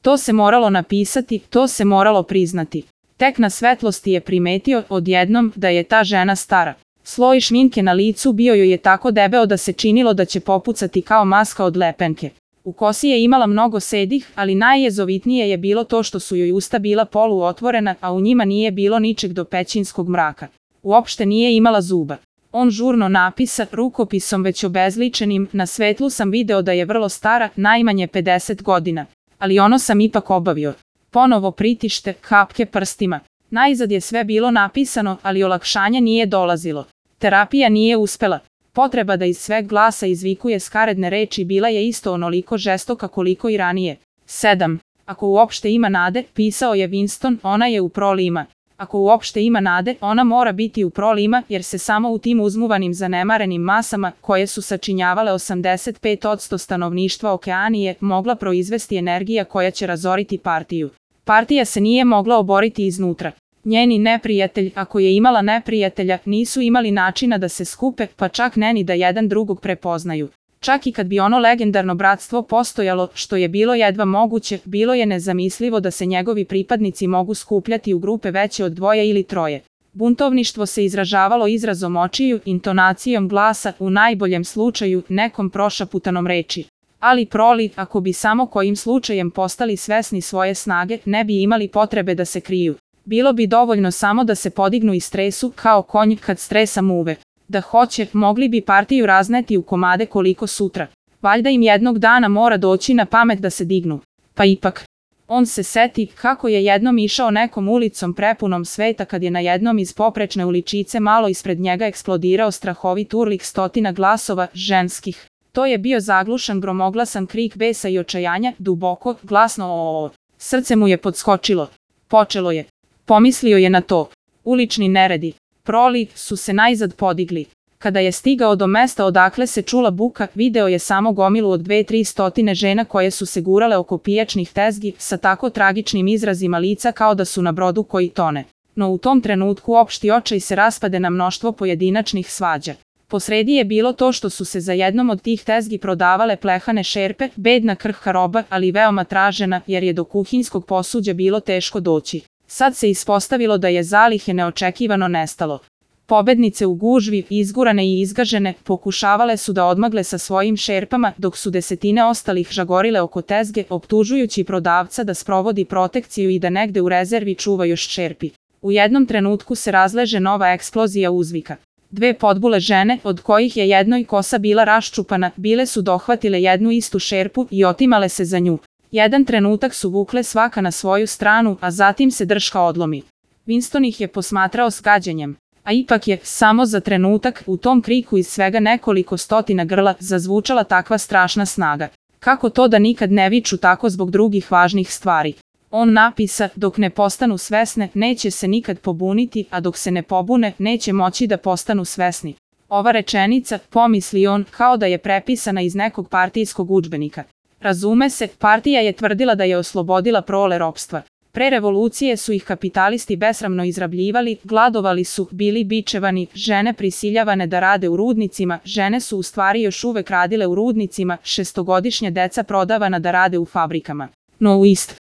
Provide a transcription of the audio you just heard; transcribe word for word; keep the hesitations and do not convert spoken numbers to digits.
To se moralo napisati, to se moralo priznati. Tek na svetlosti je primetio odjednom da je ta žena stara. Sloj šminke na licu bio joj je tako debeo da se činilo da će popucati kao maska od lepenke. U kosi je imala mnogo sedih, ali najjezovitnije je bilo to što su joj usta bila poluotvorena, a u njima nije bilo ničeg do pećinskog mraka. Uopšte nije imala zuba. On žurno napisa, rukopisom već obezličenim, na svetlu sam video da je vrlo stara, najmanje pedeset godina. Ali ono sam ipak obavio. Ponovo pritište, kapke prstima. Najzad je sve bilo napisano, ali olakšanje nije dolazilo. Terapija nije uspela. Potreba da iz sveg glasa izvikuje skaredne reči bila je isto onoliko žestoka koliko i ranije. sedam. Ako uopšte ima nade, pisao je Winston, ona je u prolima. Ako uopšte ima nade, ona mora biti u prolima, jer se samo u tim uzmuvanim zanemarenim masama, koje su sačinjavale osamdeset pet posto stanovništva Okeanije, mogla proizvesti energija koja će razoriti partiju. Partija se nije mogla oboriti iznutra. Njeni neprijatelj, ako je imala neprijatelja, nisu imali načina da se skupe, pa čak ne ni da jedan drugog prepoznaju. Čak i kad bi ono legendarno bratstvo postojalo, što je bilo jedva moguće, bilo je nezamislivo da se njegovi pripadnici mogu skupljati u grupe veće od dvoje ili troje. Buntovništvo se izražavalo izrazom očiju, intonacijom glasa, u najboljem slučaju, nekom prošaputanom reči. Ali proli, ako bi samo kojim slučajem postali svesni svoje snage, ne bi imali potrebe da se kriju. Bilo bi dovoljno samo da se podignu i stresu, kao konj kad stresa muve. Da hoće, mogli bi partiju razneti u komade koliko sutra. Valjda im jednog dana mora doći na pamet da se dignu. Pa ipak. On se seti kako je jednom išao nekom ulicom prepunom sveta kad je na jednom iz poprečne uličice malo ispred njega eksplodirao strahovit urlik stotina glasova, ženskih. To je bio zaglušan gromoglasan krik besa i očajanja, duboko, glasno o. Srce mu je podskočilo. Počelo je. Pomislio je na to. Ulični neredi. Proli su se najzad podigli. Kada je stigao do mesta odakle se čula buka, video je samo gomilu od dve tri stotine žena koje su se gurale oko pijačnih tezgi sa tako tragičnim izrazima lica kao da su na brodu koji tone. No u tom trenutku opšti očaj se raspade na mnoštvo pojedinačnih svađa. Posredi je bilo to što su se za jednom od tih tezgi prodavale plehane šerpe, bedna krhka roba, ali veoma tražena, jer je do kuhinjskog posuđa bilo teško doći. Sad se ispostavilo da je zalihe neočekivano nestalo. Pobednice u gužvi, izgurane i izgažene, pokušavale su da odmagle sa svojim šerpama, dok su desetine ostalih žagorile oko tezge, optužujući prodavca da sprovodi protekciju i da negde u rezervi čuva još šerpi. U jednom trenutku se razleže nova eksplozija uzvika. Dve podbule žene, od kojih je jednoj kosa bila raščupana, bile su dohvatile jednu istu šerpu i otimale se za nju. Jedan trenutak su vukle svaka na svoju stranu, a zatim se drška odlomi. Winston ih je posmatrao s gađenjem. A ipak je, samo za trenutak, u tom kriku iz svega nekoliko stotina grla, zazvučala takva strašna snaga. Kako to da nikad ne viču tako zbog drugih važnih stvari? On napisa, dok ne postanu svesne, neće se nikad pobuniti, a dok se ne pobune, neće moći da postanu svesni. Ova rečenica, pomisli on, kao da je prepisana iz nekog partijskog udžbenika. Razume se, partija je tvrdila da je oslobodila prole ropstva. Pre revolucije su ih kapitalisti besramno izrabljivali, gladovali su, bili bičevani, žene prisiljavane da rade u rudnicima, žene su u stvari još uvek radile u rudnicima, šestogodišnja deca prodavana da rade u fabrikama. No u isto